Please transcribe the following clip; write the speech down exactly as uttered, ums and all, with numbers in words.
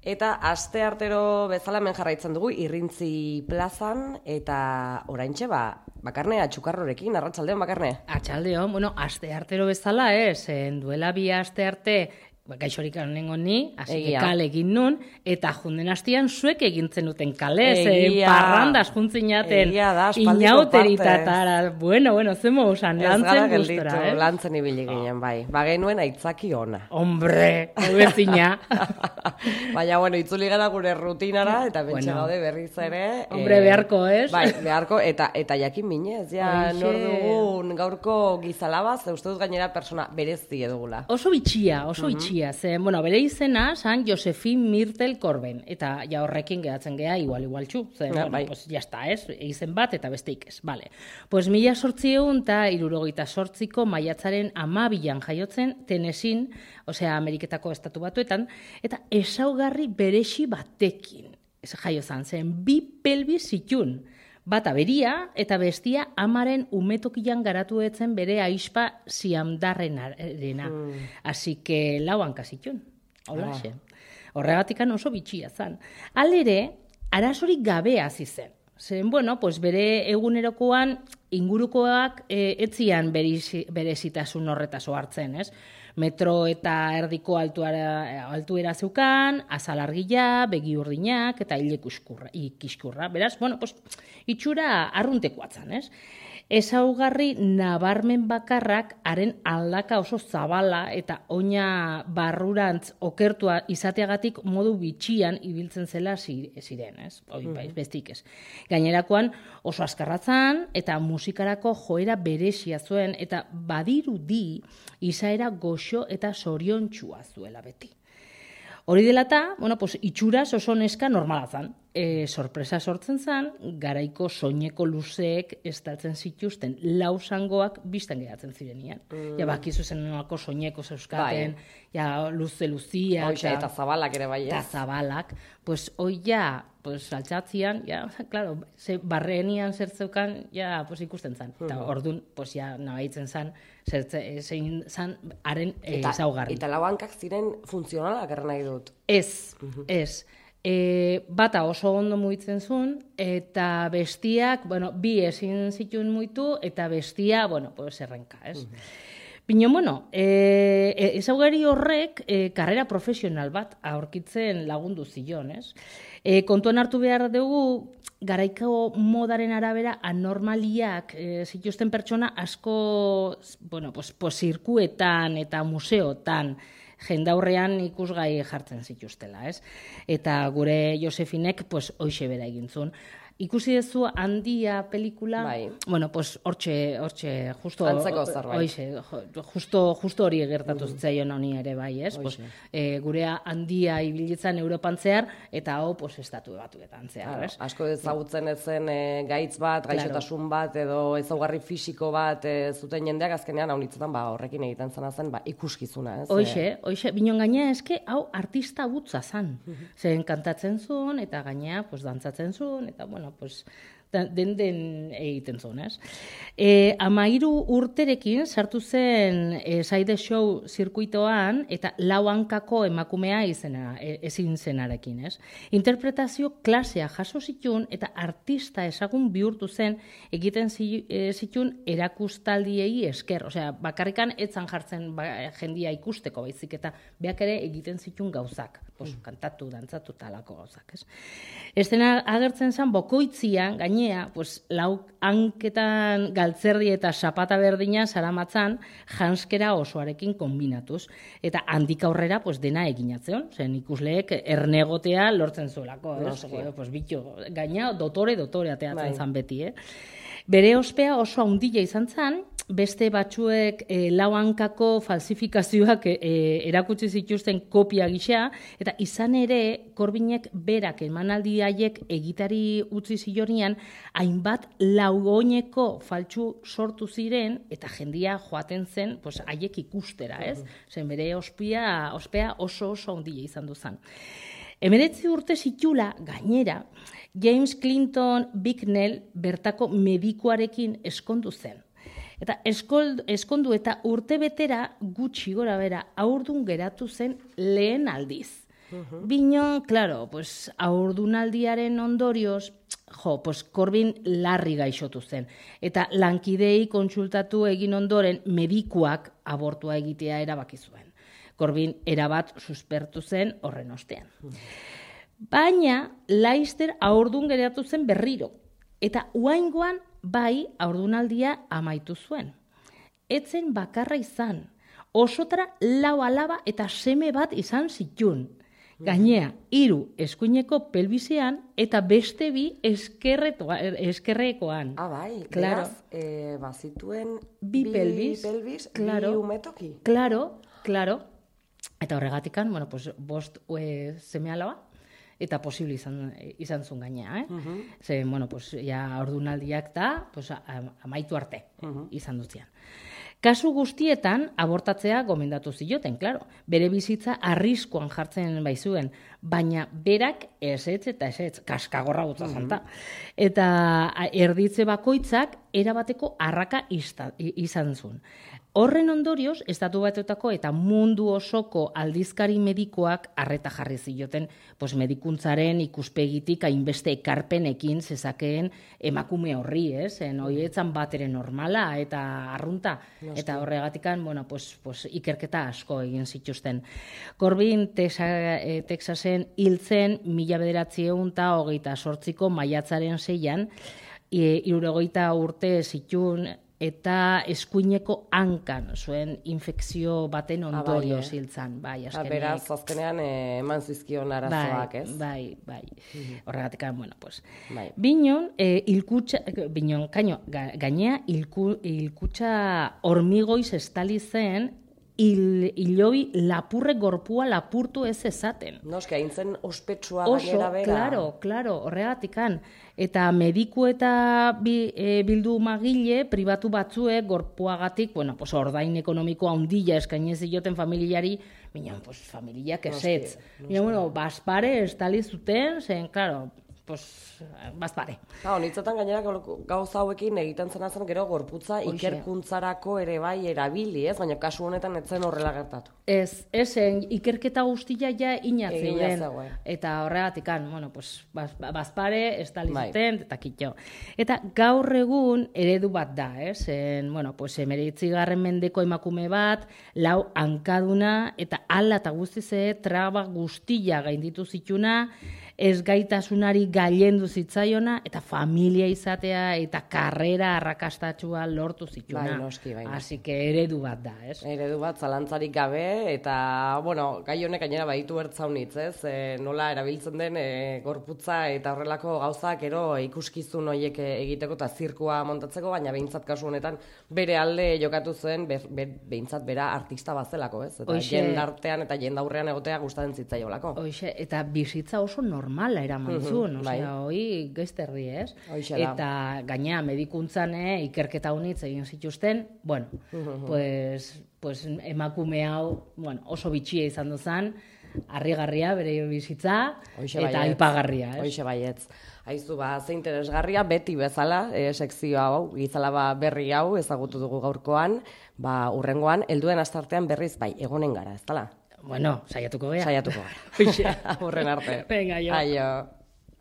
Eta aste artero bezala hemen jarraitzen dugu Irrintzi plazan eta oraintxe ba Bakarne Atxukarrorekin, arratsaldeon Bakarne. Arratsaldeon, bueno, aste artero bezala, ez, duela bi aste arte gaixorik nengo ni, hasi kale egin nun, eta junden hastian zuek egintzen duten kale, ze parrandaz juntzinaten inauteritatara. Bueno, bueno, zemo usan, lantzen gustora, eh? Lantzen ibili ginen, bai. Ba genuen aitzaki ona. Hombre, ubezina. Baina, bueno, itzuli gara gure rutinara, eta bentsa gaude berriz ere. Hombre, beharko, ez? Bai, beharko, eta eta jakin minez, ja, nor dugun gaurko gizalabaz, uste dut gainera persona berezi edugula. Oso bitxia, oso bitxia. Zen, bueno, bere izena, San Josefin Mirtel Korben, eta ja horrekin gehatzen geha, igual, igual txu, zen, ja, bueno, bai. pues, jazta, ez, izen bat, eta besteik ez, bale. Pues mila sortzieun eta irurogeita sortziko maiatzaren amabilan jaiotzen, Tennesseein, osea, Ameriketako estatu batuetan, eta ezaugarri beresi batekin, ez jaiozan, zen, bi pelbis zitun, bata beria eta bestia amaren umetokian garatu etzen bere aispa ziamdarrenarena. Mm. Así que lau hankazitun, holaxe. Ah. Horregatikan oso bitxia zan. Alere, arazorik gabe hasi zen. Zen, bueno, pues bere egunerokoan ingurukoak e, etzian berezitasun horretaz hartzen, ez? Metro eta erdiko altuara, altuera zeukan, azal argia, begi urdinak eta hile ikiskurra. Beraz, bueno, pues, itxura arruntekoatzen, ez? Ezaugarri nabarmen bakarrak haren aldaka oso zabala eta oina barrurantz okertua izateagatik modu bitxian ibiltzen zela ziren, ez? Hoi, mm. bestik ez. Gainerakoan oso askarratzan eta musikarako joera berezia zuen eta badirudi izaera goxo eta zoriontxua zuela beti. Hori dela eta, bueno, pues, itxuraz oso neska normala zan. E, sorpresa sortzen zan, garaiko soineko luzeek estaltzen zituzten lausangoak biztan geratzen zirenian. Mm. Ja, bakizu zen nolako soineko zeuskaten, bai. Ja, luze luzia. Oixa, eta zabalak ere bai ez. Eta zabalak. Pues, hoi ja, pues, altxatzian, ja, claro, ze barrenian zertzeukan, ja, pues, ikusten zan. Mm. Eta orduan, pues, ja, nabaitzen zan, zein zan, haren ezaugarri. Eta lau hankak ziren funtzionalak erren nahi dut. Ez, uh-huh. ez. E, bata oso ondo muitzen zuen, eta bestiak, bueno, bi ezin zituen muitu, eta bestia, bueno, pues errenka, ez? Uh-huh. Bino, bueno, e, ezaugarri horrek e, karrera profesional bat aurkitzen lagundu zion, ez? E, kontuan hartu behar dugu, garaiko modaren arabera anormaliak e, zituzten pertsona asko, bueno, pues, pues, zirkuetan eta museotan, jendaurrean ikusgai jartzen zituztela, ez? Eta gure Josefinek, pues, hoxe bera egintzun. Ikusi dezu Handia pelikula, bai. Bueno, pues, hortxe, hortxe, justo... Antzeko zerbait. Hoxe, justo, justo hori gertatu mm. zitzaion honi ere bai, ez? Pues, e, gure Handia ibilitzen Europan zehar, eta hau, pues, estatu batuetan zehar, claro, ez? Asko ezagutzen ezen e, gaitz bat, gaixotasun claro. bat, edo ezaugarri fisiko bat e, zuten jendeak azkenean haunitzetan, ba, horrekin egiten zena zen, ba, ikuskizuna, ez? Hoxe, hoxe, binon gainea eske, hau artista butza zan. Mm-hmm. Zen kantatzen zuen, eta gainea, pues, dantzatzen zuen, eta, bueno, pues, den den egiten zuen, ez? E, amairu urterekin sartu zen e, Side Show zirkuitoan eta lau hankako emakumea izena, e, ezin zenarekin, ez? Interpretazio klasea jaso zituen eta artista ezagun bihurtu zen egiten zituen erakustaldiei esker. Osea, bakarrikan etzan jartzen ba, jendia ikusteko baizik eta beak ere egiten zituen gauzak. Pues, kantatu, dantzatu talako gauzak, ez? Estena agertzen zen bokoitzian, gainea, pues, lau hanketan galtzerdi eta zapata berdina saramatzan janskera osoarekin kombinatuz. Eta handik aurrera, pues, dena eginatzeon, zen ikusleek ernegotea lortzen zuelako, ez? Pues, bitu, gaina dotore, dotore ateatzen zan beti, eh? Bere ospea oso handia izan zen, beste batzuek e, lau hankako falsifikazioak e, erakutsi zituzten kopia gisa, eta izan ere Korbinek berak emanaldi haiek egitari utzi zionian, hainbat laugoineko faltsu sortu ziren, eta jendia joaten zen pues, haiek ikustera, ez? Zen bere ospea, ospea oso oso handia izan duzan. Emeretzi urte zitula, gainera, James Clinton Bicknell bertako medikuarekin eskondu zen. Eta eskold, eskondu eta urte betera gutxi gora bera aurdun geratu zen lehen aldiz. Binon, claro, pues, haurdunaldiaren ondorioz, jo, pues, Corbin larri gaixotu zen. Eta lankidei kontsultatu egin ondoren medikuak abortua egitea erabaki zuen. Corbin erabat suspertu zen horren ostean. Baina, Laister haurdun geratu zen berriro. Eta uaingoan bai haurdunaldia amaitu zuen. Etzen bakarra izan. Osotara lau alaba eta seme bat izan zitun. Gainea, hiru eskuineko pelbisean eta beste bi eskerrekoan. Ah, bai, claro. Beraz, eh, bazituen bi, bi pelbis, pelbis claro, bi umetoki. Claro, claro. Eta horregatikan, bueno, pues, bost e, seme alaba, eta posible izan, izan zuen gainea, eh? Uh-huh. Ze, bueno, pues, ja, ordunaldiak da, pues, amaitu arte uh-huh. izan dutzean. Kasu guztietan, abortatzea gomendatu zioten, claro. Bere bizitza arriskuan jartzen baizuen, baina berak esetz eta esetz, kaskagorra gutza zanta. Eta erditze bakoitzak erabateko arraka izan zuen. Horren ondorioz, Estatu Batuetako eta mundu osoko aldizkari medikoak arreta jarri zioten, pues, medikuntzaren ikuspegitik hainbeste ekarpenekin zezakeen emakume horri, ez? En hoietzan batere normala eta arrunta. Eta horregatikan, bueno, pues, pues, ikerketa asko egin zituzten. Corbin Texasen hiltzen mila bederatziehun eta hogeita zortziko maiatzaren seian, hirurogeita urte zitun eta eskuineko hankan zuen infekzio baten ondorioz hiltzan. Bai, azkenean. Beraz, azkenean eman zizkion arazoak, ez? Bai, bai. Horregatik, bueno, pues. Binon, hilkutxa, binon, kaino, gainea, hilkutxa hormigoiz estali zen, hilobi lapurre gorpua lapurtu ez ezaten. Noski, hain zen ospetsua gainera bera. Claro, claro, horregatikan. Eta mediku eta bi, e, bildu magile, pribatu batzuek, gorpuagatik, bueno, pues, ordain ekonomiko handia eskainez zioten familiari, minon, pues, familiak esetz. Minon, bueno, bazpare estali zuten, zen, claro, pues, bazpare. Ha, honitzetan gainera gauza hauekin egiten zena zen gero gorputza ikerkuntzarako ere bai erabili, ez? Baina kasu honetan ez zen horrela gertatu. Ez, ezen, ikerketa guztia ja inatzen. Eta horregatikan, bueno, pues, bazpare, estali zuten, eta kitxo. Eta gaur egun eredu bat da, ez? En, bueno, pues, emeretzigarren mendeko emakume bat, lau hankaduna, eta ala eta guztize, traba guztia gainditu zituna, ez gaitasunari gailendu zitzaiona, eta familia izatea, eta karrera arrakastatxua lortu zituna. Bai, noski, bai. Así que eredu bat da, ez? Eredu bat, zalantzarik gabe, eta, bueno, gai honek gainera baditu ertzaunitz, ez? E, nola erabiltzen den e, gorputza eta horrelako gauzak ero ikuskizun horiek egiteko eta zirkua montatzeko, baina behintzat kasu honetan bere alde jokatu zuen, be, be, behintzat bera artista bazelako, ez? Eta jendartean eta jendaurrean egotea gustatzen zitzaiolako. Hoxe, eta bizitza oso normala eraman zuen, osea, bai. Hoi gezterri, ez? Eta gainea medikuntzan ikerketa honitz egin zituzten, bueno, pues, pues emakume hau, bueno, oso bitxia izan duzan, harrigarria bere bizitza, eta aipagarria, ez? Hoxe baietz. Aizu, ba, ze interesgarria, beti bezala, e, sekzio hau, gizalaba berri hau, ezagutu dugu gaurkoan, ba, urrengoan, helduen astartean berriz, bai, egonen gara, ez dala? Bueno, saiatuko gara. Saiatuko gara. Horren arte. Venga, jo. Aio.